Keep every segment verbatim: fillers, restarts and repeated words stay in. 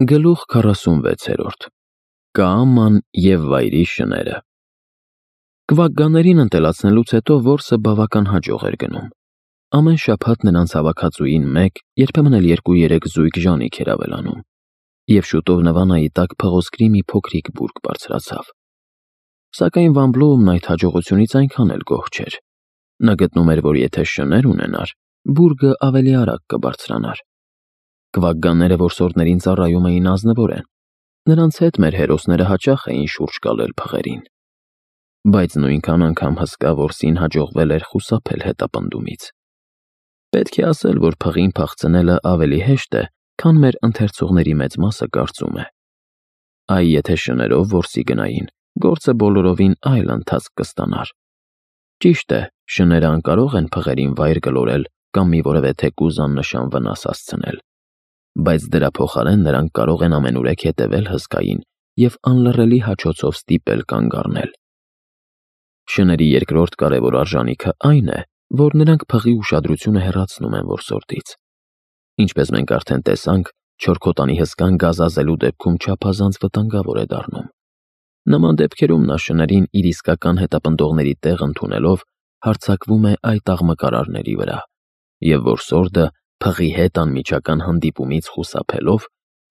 Գլուխ քառասունվեցերորդ Կաաման և վայրի շները Կվակգաներին ընտելացնելուց հետո որսը բավական հաջող էր գնում։ Ամեն շաբաթ նրանց հավաքածուին մեկ, երբեմն էլ երկու-երեք զույգ ժանիք էր ավելանում, և շուտով Նվանայի տակ փղոսկրի մի փոքրիկ բուրգ բարձրացավ։ Սակայն Վան Բլոումն այդ հաջողությունից այնքան էլ գոհ չէր։ Նա գտնում էր, որ եթե շներ ունենար, բուրգը ավելի արագ կբարձրանար։ Կվակգանները որսորդներին ծառայում էին ազնվորեն։ Նրանց հետ մեր հերոսները հաճախ էին շուրջ գալել փղերին։ Բայց նույնքան անգամ հսկա որսին հաջողվել էր խուսափել հետապնդումից։ Պետք է ասել, որ փղին փախցնելը ավելի հեշտ է, քան մեր ընթերցողների մեծ մասը կարծում է։ Այ եթե շներով որսի գնային, գործը բոլորովին այլ ընթացք կստանար։ Ճիշտ է, շները անկարող են փղերին վայր գլորել կամ մի որևէ թեկուզ աննշան վնաս հասցնել, բայց դրա փոխարեն նրանք կարող են ամենուրեք հետևել հսկային և անլռելի հաչոցով ստիպել կանգ առնել։ Շների երկրորդ կարևոր արժանիքը այն է, որ նրանք փղի ուշադրությունը հեռացնում են որսորդից։ Ինչպես մենք արդեն տեսանք, չորքոտանի հսկան գազազելու դեպքում չափազանց վտանգավոր է դառնում։ Նման դեպքերում նա շներին իր իսկական հետապնդողների տեղ ընդունելով հարձակվում է այդ աղմկարարների վրա, և որսորդը փղի հետ անմիջական հանդիպումից խուսափելով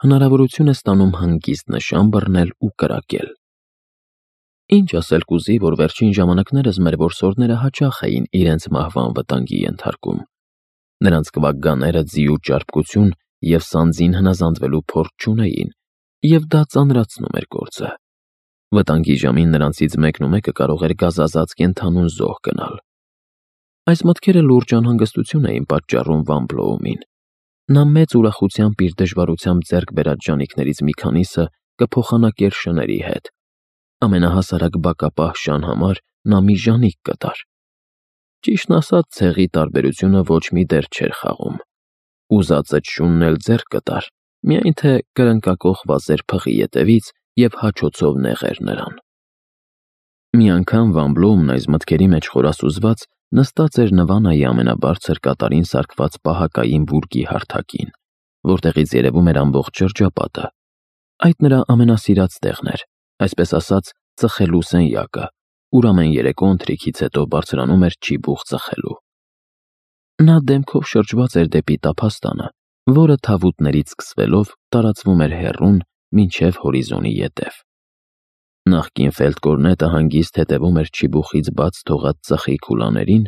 հնարավորություն է ստանում հանգիստ նշան բռնել ու կրակել։ Ինչ ասել կուզի, որ վերջին ժամանակներս մեր որսորդները հաճախ էին իրենց մահվան վտանգի ենթարկում։ Նրանց կվակգանները ձիու ճարպկություն և սանձին հնազանդվելու փորձ չունեին, և դա ծանրացնում էր գործը։ Վտանգի ժամին նրանցից մեկն ու մեկը կարող էր գազազած կենդանուն զոհ գնալ։ Այս մտքերը լուրջ անհանգստություն էին պատճառում Վան Բլոումին։ Նա մեծ ուրախությամբ իր դժվարությամբ ձեռք բերած ժանիքներից մի քանիսը կփոխանակեր շների հետ։ Ամենահասարակ բակապահ շան համար նա մի ժանիք կտար։ Ճիշտն ասած, ցեղի տարբերությունը ոչ մի դեր չէր խաղում։ Ուզածը շունն էլ ձեռք կտար, միայն թե կրնկակոխ վազեր փղի ետևից և հաչոցով նեղեր նրան։ Մի անգամ Վան Բլոումն այս մտքերի մեջ խորասուզված նստած էր Նվանայի ամենաբարձր կատարին սարքված պահակային բուրգի հարթակին, որտեղից երևում էր ամբողջ շրջապատը։ Այդ նրա ամենասիրած տեղն էր, այսպես ասած, ծխելու սենյակը, ուր ամեն երեկո ընթրիքից հետո բարձրանում էր ճիբուխ ծխելու։ Նա դեմքով շրջված էր դեպի տափաստանը, որը թավուտներից սկսվելով տարածվում էր հեռուն մինչև հորիզոնի ետև։ Նախկին ֆելդկորնետը հանգիստ հետևում էր ճիբուխից բաց թողած ծխի քուլաներին,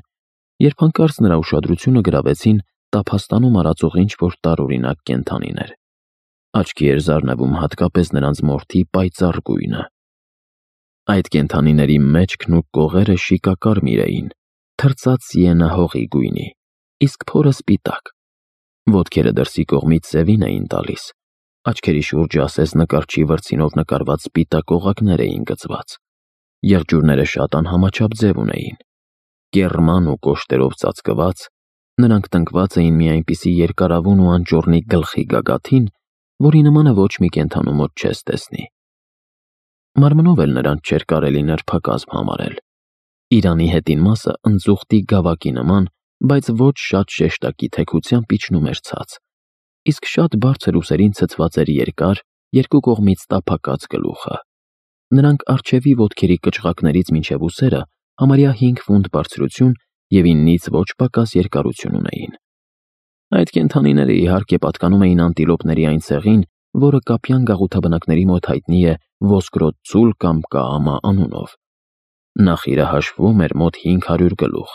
երբ հանկարծ նրա ուշադրությունը գրավեցին տափաստանում արածող ինչ-որ տարօրինակ կենդանիներ։ Աչքի էր զարնվում հատկապես նրանց մորթի պայծառ գույնը։ Այդ կենդանիների մեջքն ու կողերը շիկակարմիր էին, թրծած սիենա հողի գույնի, իսկ փորը սպիտակ։ Ոտքերը դրսի կողմից սևին էին տալիս, աչքերի շուրջը ասես նկարչի վրձինով նկարված սպիտակ օղակներ էին գծված։ Եղջյուրները շատ անհամաչափ ձև ունեին։ Կեռման ու կոշտերով ծածկված, նրանք տնկված էին մի այնպիսի երկարավուն ու անճոռնի գլխի գագաթին, որի նմանը ոչ մի կենդանու մոտ չես տեսնի։ Մարմնով էլ նրանց չէր կարելի նրբակազմ համարել։ Իրանի հետին մասը ընձուղտի գավակի նման, բայց ոչ շատ շեշտակի թեքությամբ իջնում էր ցած, իսկ շատ բարձր ուսերին ցցված էր երկար, երկու կողմից տափակած գլուխը։ Նրանք առջևի ոտքերի կճղակներից մինչև ուսերը համարյա հինգ ֆուտ բարձրություն և իննից ոչ պակաս երկարություն ունեին։ Այդ կենդանիները իհարկե պատկանում էին անտիլոպների այն ցեղին, որը կապյան գաղութաբնակների մոտ հայտնի է ոսկրոտ ձուլ կամ կաամա անունով։ Նախիրը հաշվում էր մոտ հինգ հարյուր գլուխ։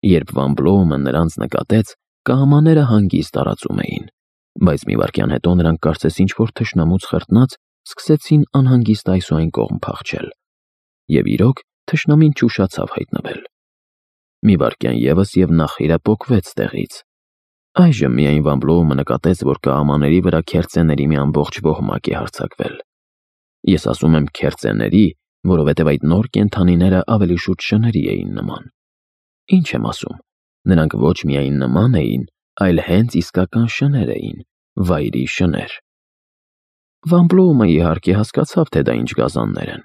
Երբ Վան Բլոումը նրանց նկատեց, կաամաները հանգիստ տարածում էին, բայց մի վայրկյան հետո նրանք կարծես ինչ-որ թշնամուց խրտնած սկսեցին անհանգիստ այս ու այն կողմ փախչել։ Եվ իրոք, թշնամին չուշացավ հայտնվել։ Մի վայրկյան ևս և նախիրը պոկվեց տեղից։ Այժմ միայն Վան Բլոումը նկատեց, որ կաամաների վրա քերծեների մի ամբողջ ոհմակ է հարձակվել։ Ես ասում եմ քերծեների, որովհետև այդ նոր կենդանիները ավելի շուտ շների էին նման։ Ինչ եմ ասում, նրանք ոչ միայն նման էին, այլ հենց իսկական շներ էին, վայրի շներ։ Վան Բլոումը իհարկե հասկացավ, թե դա ինչ գազաններ են։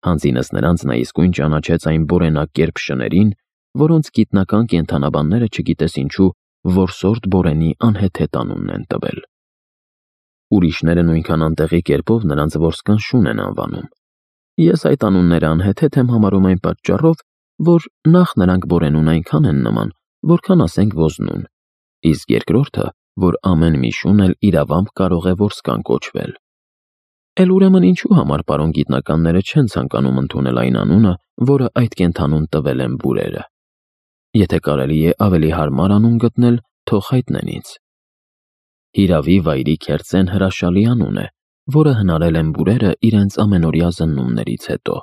Հանձինս նրանց նա իսկույն ճանաչեց այն բորենակերպ շներին, որոնց գիտնական կենդանաբանները չգիտես ինչու որսորդ բորենի անհեթեթ անունն են տվել։ ուրիշները նույնքան անտեղի կերպով նրանց որսկան շուն են անվանում։ Ես այդ անունները անհեթեթ եմ համարում այն պատճառով, որ նախ նրանք բորենուն այնքան են նման, որքան ասենք ոզնուն, իսկ երկրորդը, որ ամեն մի շուն էլ իրավամբ կարող է որսկան կոչվել։ Էլ ուրեմն ինչու համար պարոն գիտնականները չեն ցանկանում ընդունել այն անունը, որը այդ կենդանուն տվել են բուրերը։ Եթե կարելի է ավելի հարմար անուն գտնել, թող հայտնեն ինձ։ Հիրավի վայրի քերծեն հրաշալի անուն է, որը հնարել են բուրերը իրենց ամենօրյա զննումներից հետո,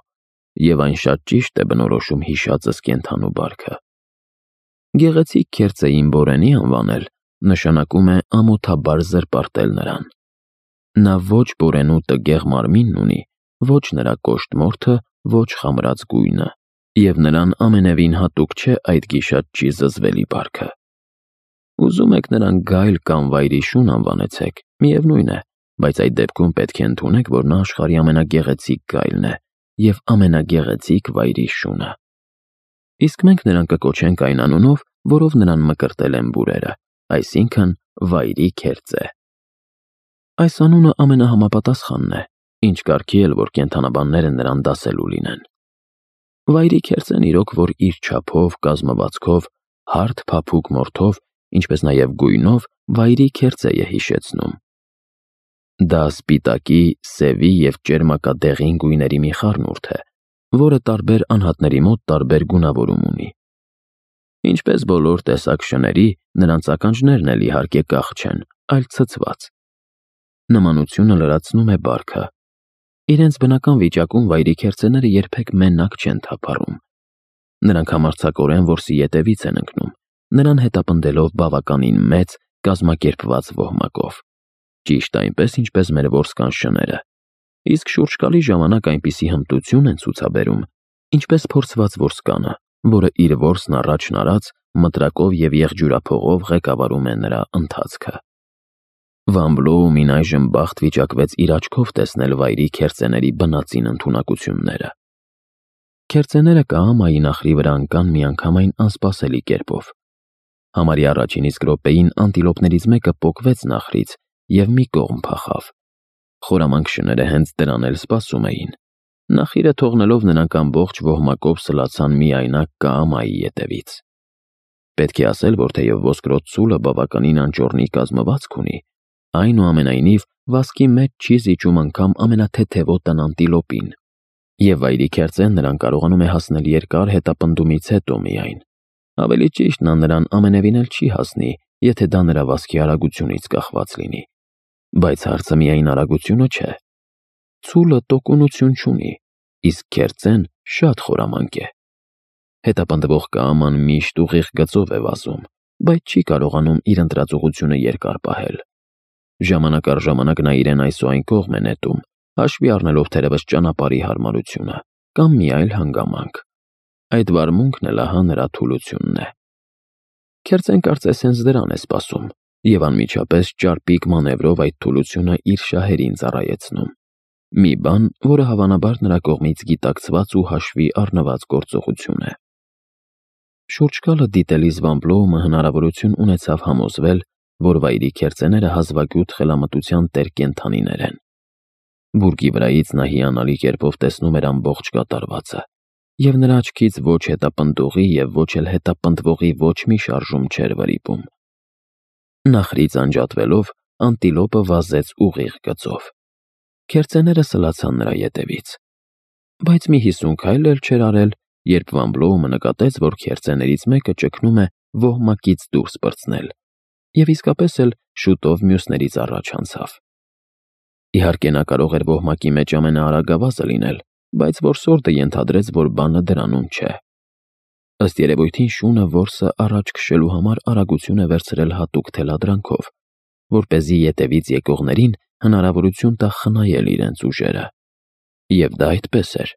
եւ այն շատ ճիշտ է բնորոշում հիշածս կենդանու բարքը։ Գեղեցիկ քերծեին բորենի անվանել նշանակում է ամոթաբար զրպարտել նրան։ Նա ոչ բորենու տգեղ մարմինն ունի, ոչ նրա կոշտ մորթը, ոչ խամրած գույնը, եւ նրան ամենևին հատուկ չէ այդ գիշատչի զզվելի բարքը։ Ուզում եք նրան գայլ կամ վայրի շուն անվանեցեք, միևնույն է, բայց այդ դեպքում պետք է ընդունեք, որ նա աշխարհի ամենագեղեցիկ գայլն է եւ ամենագեղեցիկ վայրի շունը։ Իսկ մենք նրան կկոչենք այն անունով, որով նրան մկրտել են բուրերը, այսինքն վայրի քերծե։ Այս անունը ամենահամապատասխանն է, ինչ կարգի էլ որ կենդանաբանները նրան դասելու լինեն։ Վայրի քերծեն իրոք, որ իր չափով, կազմվածքով, հարթ փափուկ մորթով, ինչպես նաև գույնով վայրի քերծե է հիշեցնում։ Դա սպիտակի, սևի եւ ճերմակադեղին գույների մի խառնուրդ է, որը տարբեր անհատների մոտ տարբեր գունավորում ունի։ Ինչպես բոլոր տեսակ շների, նրանց ականջներն էլ իհարկե կախ չեն, այլ ցցված։ Նմանությունը լրացնում է բարքը։ Իրենց բնական վիճակում վայրի քերծեները երբեք մենակ չեն թափառում։ Նրանք համարձակորեն որսի ետևից են ընկնում, նրան հետապնդելով բավականին մեծ, կազմակերպված ոհմակով։ Ճիշտ այնպես, ինչպես մեր որսկան շները, իսկ շուրջկալի ժամանակ այնպիսի հմտություն են ցուցաբերում, ինչպես փորձված որսկանը, որը իր որսն առաջն արած մտրակով եւ եղջյուրափողով ղեկավարում է նրա ընթացքը։ Վան Բլոումին այժմ բախտ վիճակվեց իր աչքով տեսնել վայրի քերծեների բնածին ընդունակությունները։ Քերծեները կահամայի նախրի վրա ընկան միանգամայն անսպասելի կերպով։ Համարի առաջին իսկ րոպեին անտիլոպներից մեկը պոկվեց նախրից եւ մի կողմ փախավ։ Խորամանկ շները հենց դրան էլ սպասում էին։ Նախիրը թողնելով նրանք ամբողջ ոհմակով սլացան միայնակ կահամայի ետևից։ Պետք է ասել, որ թեև ոսկրոտ ցուլը բավականին անճոռնի կազմվածք ունի, այնուամենայնիվ վազքի մեջ չի զիջում անգամ ամենաթեթևոտն անտիլոպին, եւ վայրի քերծեն նրան կարողանում է հասնել երկար հետապնդումից հետո միայն։ Ավելի ճիշտ, նա նրան ամենևին էլ չի հասնի, եթե դա նրա վազքի արագությունից կախված լինի։ Բայց հարցը միայն արագությունը չէ։ Ցուլը տոկունություն չունի, իսկ քերծեն շատ խորամանկ է։ Հետապնդվող կաման միշտ ուղիղ գծով է վազում, բայց չի կարողանում իր ընտրածուղությունը երկար պահել։ Ժամանակ առ ժամանակ նա իրեն այս ու այն կողմ է նետում, հաշվի առնելով թերևս ճանապարհի հարմարությունը կամ մի այլ հանգամանք։ Այդ վարմունքն էլ ահա նրա թուլությունն է։ Քերծեն կարծես հենց դրան է սպասում եւ անմիջապես ճարպիկ մանևրով այդ թուլությունը իր շահերին ծառայեցնում։ Մի բան, որը հավանաբար նրա կողմից գիտակցված ու հաշվի առնված գործողություն է։ Շուրջկալը դիտելիս Վան Բլոումը հնարավորություն ունեցավ համոզվել, որ վայրի քերծեները հազվագյուտ խելամտության տեր կենդանիներ են։ Բուրգի վրայից նա հիանալի կերպով տեսնում էր ամբողջ կատարվածը, եւ նրա աչքից ոչ հետապնդողի եւ ոչ էլ հետապնդվողի ոչ մի շարժում չէր վրիպում։ Նախրից անջատվելով, անտիլոպը վազեց ուղիղ գծով։ Քերծեները սլացան նրա ետևից։ Բայց մի հիսուն քայլ էլ չէր արել, երբ Վան Բլոումը նկատեց, որ քերծեներից մեկը ճգնում է ոհմակից դուրս պրծնել, եւ իսկապես էլ շուտով մյուսներից առաջ անցավ։ Իհարկե նա կարող էր ոհմակի մեջ ամենաարագավազը լինել, բայց որսորդը ենթադրեց, որ բանը դրանում չէ։ Ըստ երևույթին շունը որսը առաջ քշելու համար արագություն է վերցրել հատուկ թելադրանքով, որպեսզի ետևից եկողներին հնարավորություն տա խնայել իրենց ուժերը։ Եվ դա այդպես էր։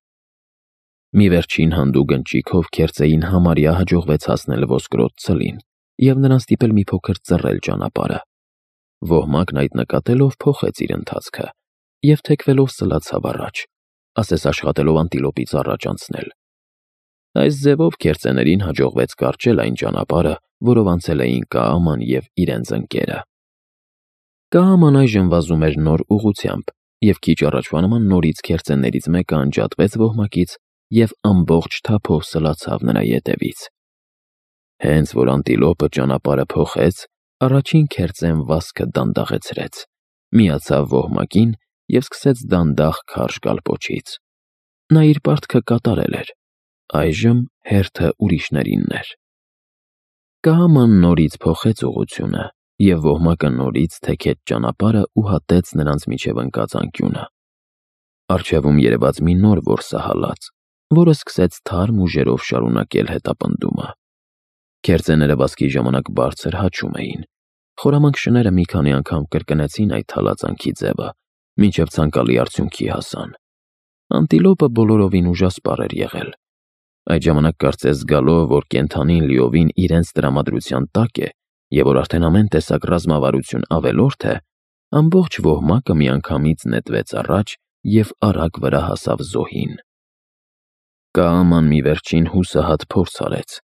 Մի վերջին հանդուգ ընճիքով քերծեին համարյա հաջողվեց հասնել ոսկրոտ ցլին եւ նրան ստիպել մի փոքր ծռել ճանապարհը։ Ոհմակն այդ նկատելով փոխեց իր ընթացքը եւ թեքվելով սլացավ առաջ, ասես աշխատելով անտիլոպից առաջ անցնել։ Այս ձևով քերծեներին հաջողվեց կարճել այն ճանապարհը, որով անցել էին կաաման եւ իրենց ընկերը։ Կաման այժմ վազում էր նոր ուղղությամբ, և քիչ առաջվա նման նորից քերծերներից մեկը անջատվեց ոհմակից և ամբողջ թափով սլացավ նրա ետևից։ Հենց որ անտիլոպը ճանապարհը փոխեց, առաջին քերծեն վազքը դանդաղեցրեց, միացավ ոհմակին և սկսեց դանդաղ քարշ գալ պոչից։ Նա իր պարտքը կատարել էր, այժմ հերթը ուրիշներինն էր։ Կաման նորից փոխեց ուղղությունը, և ոհմակը նորից թեքեց ճանապարհը ու հատեց նրանց միջև ընկած անկյունը։ Առջևում երևաց մի նոր որսահալած, որը սկսեց թարմ ուժերով շարունակել հետապնդումը։ Քերծեները վազքի ժամանակ բարձր հաչում էին։ Խորամանկ շները մի քանի անգամ կրկնեցին այդ հալածանքի ձևը, մինչև ցանկալի արդյունքի հասան։ Անտիլոպը բոլորովին ուժասպառ էր եղել։ Այդ ժամանակ կարծես զգալով, որ կենդանին լիովին իրենց տրամադրության տակ է և որ արդեն ամեն տեսակ ռազմավարություն ավելորդ է, ամբողջ ոհմակը միանգամից նետվեց առաջ և արագ վրա հասավ զոհին։ Կաման մի վերջին հուսահատ փորձ արեց,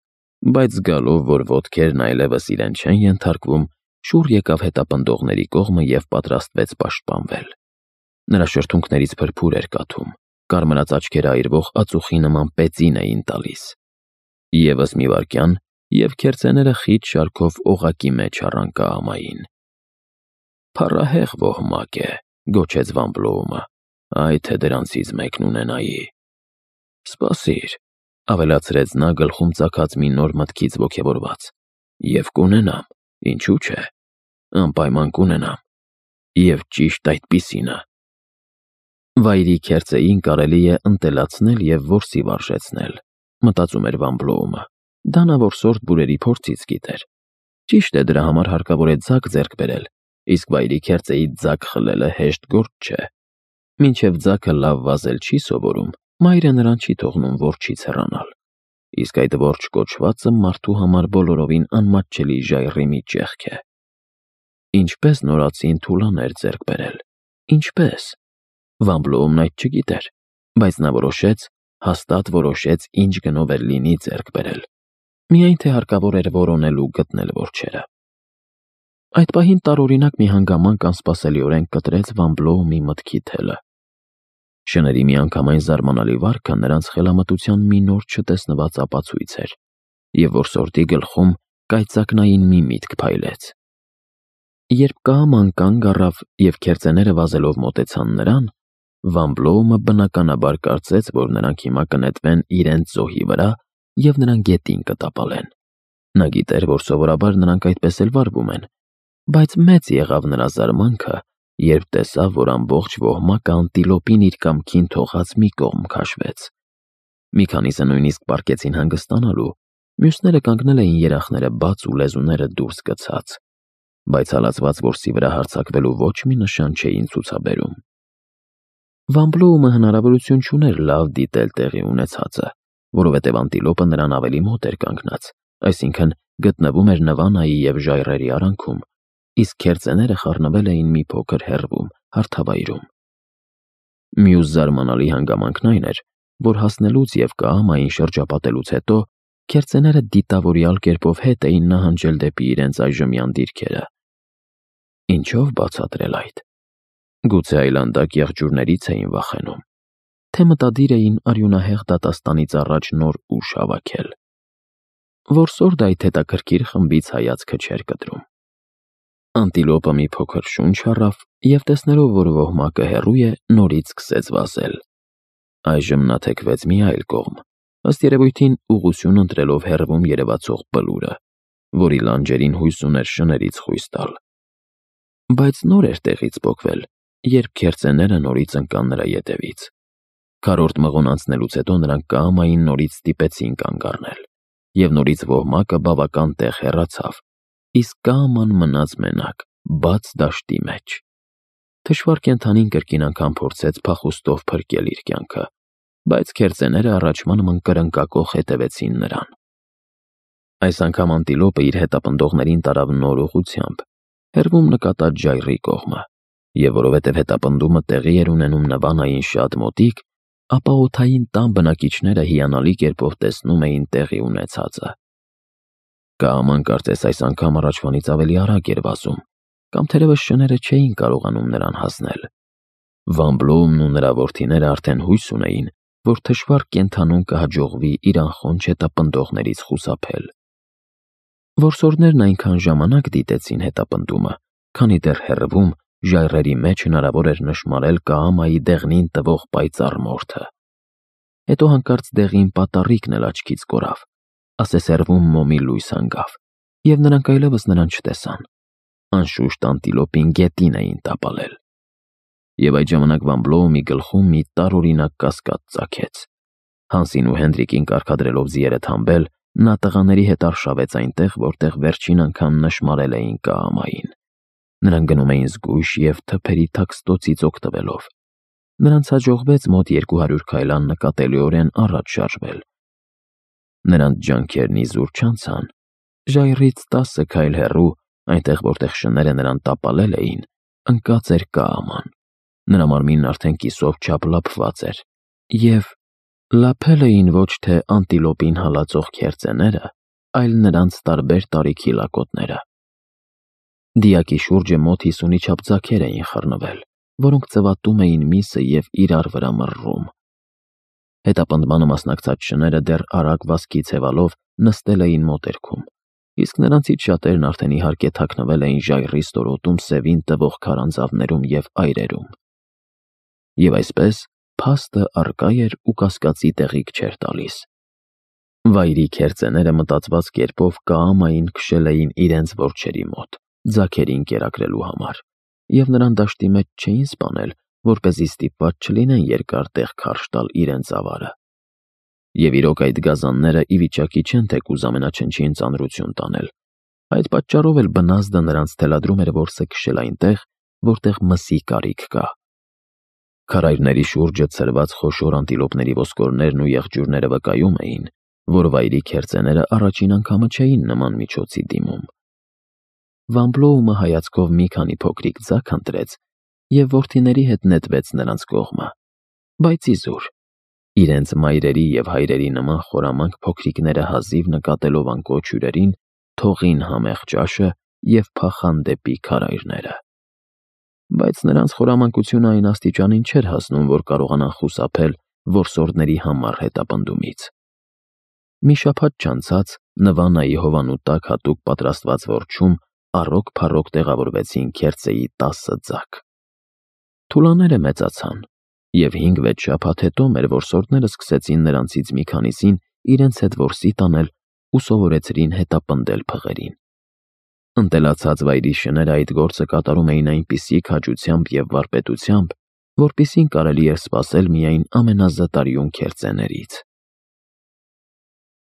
բայց զգալով, որ ոտքերն այլևս իրեն չեն ենթարկվում, շուռ եկավ հետապնդողների կողմը և պատրաստվեց պաշտպանվել։ Նրա շրթունքներից փրփուր էր կաթում, կարմրած աչքերը այրվող ածուխի նման պեծին էին տալիս։ Եվս մի վայրկյան, և քերծեները խիտ շարքով օղակի մեջ առան Կաամային։ «Փառահեղ ոհմակ է», գոչեց Վան Բլոումը, «այ թե դրանցից մեկն ունենայի»։ «Սպասիր», ավելացրեց նա գլխում ծագած մի նոր մտքից ոգևորված, «և կունենամ, ինչու՞ չէ, անպայման կունենամ, և ճիշտ այդպիսինը»։ Վայրի քերծեին կարելի է ընտելացնել և որսի վարժեցնել, մտածում էր Վան Բլոումը։ Դա նա որսորդ բուրերի փորձից գիտեր։ Ճիշտ է, դրա համար հարկավոր է ձագ ձեռք բերել, իսկ վայրի քերծեից ձագ խլելը հեշտ գործ չէ։ Մինչև ձագը լավ վազել չի սովորում, մայրը նրան չի թողնում որջից հեռանալ։ Իսկ այդ որջ կոչվածը մարդու համար բոլորովին անմատչելի ժայռի մի ճեղք է։ Ինչպե՞ս նորածին թուլաներ ձեռք բերել։ Ինչպե՞ս։ Վան Բլոումն այդ չգիտեր, բայց նա որոշեց, հաստատ որոշեց, ինչ գնով էլ լինի ձեռք բերել։ Միայն թե հարկավոր էր որոնել ու գտնել որջերը։ Այդ պահին տարօրինակ մի հանգամանք անսպասելիորեն կտրեց Վան Բլոումի մտքի թելը։ Շների միանգամայն զարմանալի վարքը նրանց խելամտության մի նոր չտեսնված ապացույց էր, և որսորդի գլխում կայծակնային մի միտք փայլեց։ Երբ Կաաման կանգ առավ և քերծեները վազելով մոտեցան նրան, Վան Բլոումը բնականաբար կարծեց, որ նրանք հիմա կնետվեն իրենց զոհի վրա և նրան գետին կտապալեն։ Նա գիտեր, որ սովորաբար նրանք այդպես էլ վարվում են, բայց մեծ եղավ նրա զարմանքը, երբ տեսավ, որ ամբողջ ոհմակը անտիլոպին իր կամքին թողած մի կողմ քաշվեց։ Մի քանիսը նույնիսկ պառկեցին հանգստանալու, մյուսները կանգնել էին երախները բաց ու լեզուները դուրս գցած, բայց հալածված որսի վրա հարձակվելու ոչ մի նշան չէին ցուցաբերում։ Վան Բլոումը հնարավորություն չուներ լավ դիտել տեղի ունեցածը, որովհետև անտիլոպը նրան ավելի մոտ էր կանգնած, այսինքն գտնվում էր Նվանայի և ժայռերի արանքում, իսկ քերծեները խառնվել էին մի փոքր հեռվում, հարթավայրում։ Մյուս զարմանալի հանգամանքն այն էր, որ հասնելուց և Կաամային շրջապատելուց հետո քերծեները դիտավորյալ կերպով հետ էին նահանջել դեպի իրենց այժմյան դիրքերը։ Ինչո՞վ բացատրել այդ։ Գուցե այլանդակ եղջյուրներից էին վախենում, թե մտադիր էին արյունահեղ դատաստանից առաջ նոր ուժ հավաքել։ Որսորդը այդ հետաքրքիր խմբից հայացքը չէր կտրում։ Անտիլոպը մի փոքր շունչ առավ և տեսնելով, որ ոհմակը հեռու է, նորից սկսեց վազել։ Այժմ նա թեքվեց մի այլ կողմ, ըստ երևույթին ուղղություն ընտրելով հեռվում երևացող բլուրը, որի լանջերին հույս ուներ շներից խույս տալ։ Բայց նոր էր տեղից պոկվել, երբ քերծեները նորից ընկան նրա ետևից։ Քառորդ մղոն անցնելուց հետո նրանք Կաամային նորից ստիպեցին կանգ առնել, և նորից ոհմակը բավական տեղ հեռացավ, իսկ Կաաման մնաց մենակ, բաց դաշտի մեջ։ Թշվառ կենդանին կրկին անգամ փորձեց փախուստով փրկել իր կյանքը, բայց քերծեները առաջվա նման կրնկակոխ հետևեցին նրան։ Այս անգամ անտիլոպը իր հետապնդողներին տարավ նոր ուղղությամբ, հեռվում նկատած ժայռի կողմը, և որովհետև հետապնդումը տեղի էր ունենում Նվանային շատ մոտիկ, ապա օդային տան բնակիչները հիանալի կերպով տեսնում էին տեղի ունեցածը։ Կաաման կարծես այս անգամ առաջվանից ավելի արագ էր վազում, կամ թերևս շները չէին կարողանում նրան հասնել։ Վան Բլոումն ու նրա որդիները արդեն հույս ունեին, որ թշվառ կենդանուն կհաջողվի իր անխոնջ հետապնդողներից խուսափել։ Որսորդներն այնքան ժամանակ դիտեցին հետապնդումը, քանի դեռ հեռվում ժայռերի մեջ հնարավոր էր նշմարել Կաամայի դեղնին տվող պայծառ մորթը։ Հետո հանկարծ դեղին պատառիկն էլ աչքից կորավ, ասեսերվում մոմի լույս հանգավ, և նրանք այլևս նրան չտեսան։ Անշուշտ անտիլոպին գետին էին տապալել։ Եվ այդ ժամանակ Վան Բլոումի գլխում մի տարօրինակ կասկած ծագեց։ Հանսին ու Հենրիկին կարգադրելով ձիերը թամբել, նա տղաների հետ արշավեց այնտեղ, որտեղ վերջին անգամ նշմարել էին Կաամային։ Նրանք գնում էին զգույշ և թփերի թաքստոցից օգտվելով։ Նրանց հաջողվեց մոտ երկու հարյուր քայլ աննկատելիորեն առաջ շարժվել։ Նրանց ջանքերն իզուր չանցան։ Ժայռից տասը քայլ հեռու, այնտեղ, որտեղ շները նրան տապալել էին, ընկած էր Կաաման։ Նրա մարմինն արդեն կիսով չափ լափված էր, և լափել էին ոչ թե անտիլոպին հալածող քերծեները, այլ նրանց տարբեր տարիքի լակոտները։ Դիակի շուրջը մոտ հիսունի չափ ձագեր էին խռնվել, որոնք ծվատում էին միսը և իրար վրա մռռում։ Հետապնդմանը մասնակցած շները դեռ արագ վազքի ցևալով նստել էին մոտերքում, իսկ նրանցից շատերն արդեն իհարկե թաքնվել էին ժայռի ստորոտում սևին տվող քարանձավներում և այրերում։ Եվ այսպես փաստը առկա էր ու կասկածի տեղիք չէր տալիս։ Վայրի քերծեները մտածված կերպով Կաամային քշել էին իրենց որջերի մոտ, ձագերին կերակրելու համար, և նրան դաշտի մեջ չէին սպանել, որպեսզի ստիպված չլինեն երկար տեղ քարշ տալ իրենց ավարը։ Եվ իրոք այդ գազանները ի վիճակի չեն թեկուզ ամենաչնչին ծանրություն տանել։ Այդ պատճառով էլ բնազդը նրանց թելադրում էր որսը քշել այնտեղ, որտեղ մսի կարիք կա։ Քարայրների շուրջը ցրված խոշոր անտիլոպների ոսկորներն ու եղջյուրները վկայում էին, որ վայրի քերծեները առաջին անգամը չէին նման միջոցի դիմում։ Վան Բլոումը հայացքով մի քանի փոքրիկ ձագ ընտրեց և որդիների հետ նետվեց նրանց կողմը, բայց իզուր։ Իրենց մայրերի և հայրերի նման խորամանկ փոքրիկները հազիվ նկատելով անկոչ հյուրերին, թողին համեղ ճաշը և փախան դեպի քարայրները։ Բայց նրանց խորամանկությունը այն աստիճանին չէր հասնում, որ կարողանան խուսափել որսորդների համառ հետապնդումից։ Մի շաբաթ չանցած Նվանայի հովանու տակ հատուկ պատրաստված որջում առոք-փառոք տեղավորվեցին քերծեի տասը ձագ։ Թուլաները մեծացան, և հինգ-վեց շաբաթ հետո մեր որսորդները սկսեցին նրանցից մի քանիսին իրենց հետ որսի տանել ու սովորեցրին հետապնդել փղերին։ Ընտելացած վայրի շները այդ գործը կատարում էին այնպիսի քաջությամբ և վարպետությամբ, որպիսին կարելի էր սպասել միայն ամենազտարյուն քերծեներից։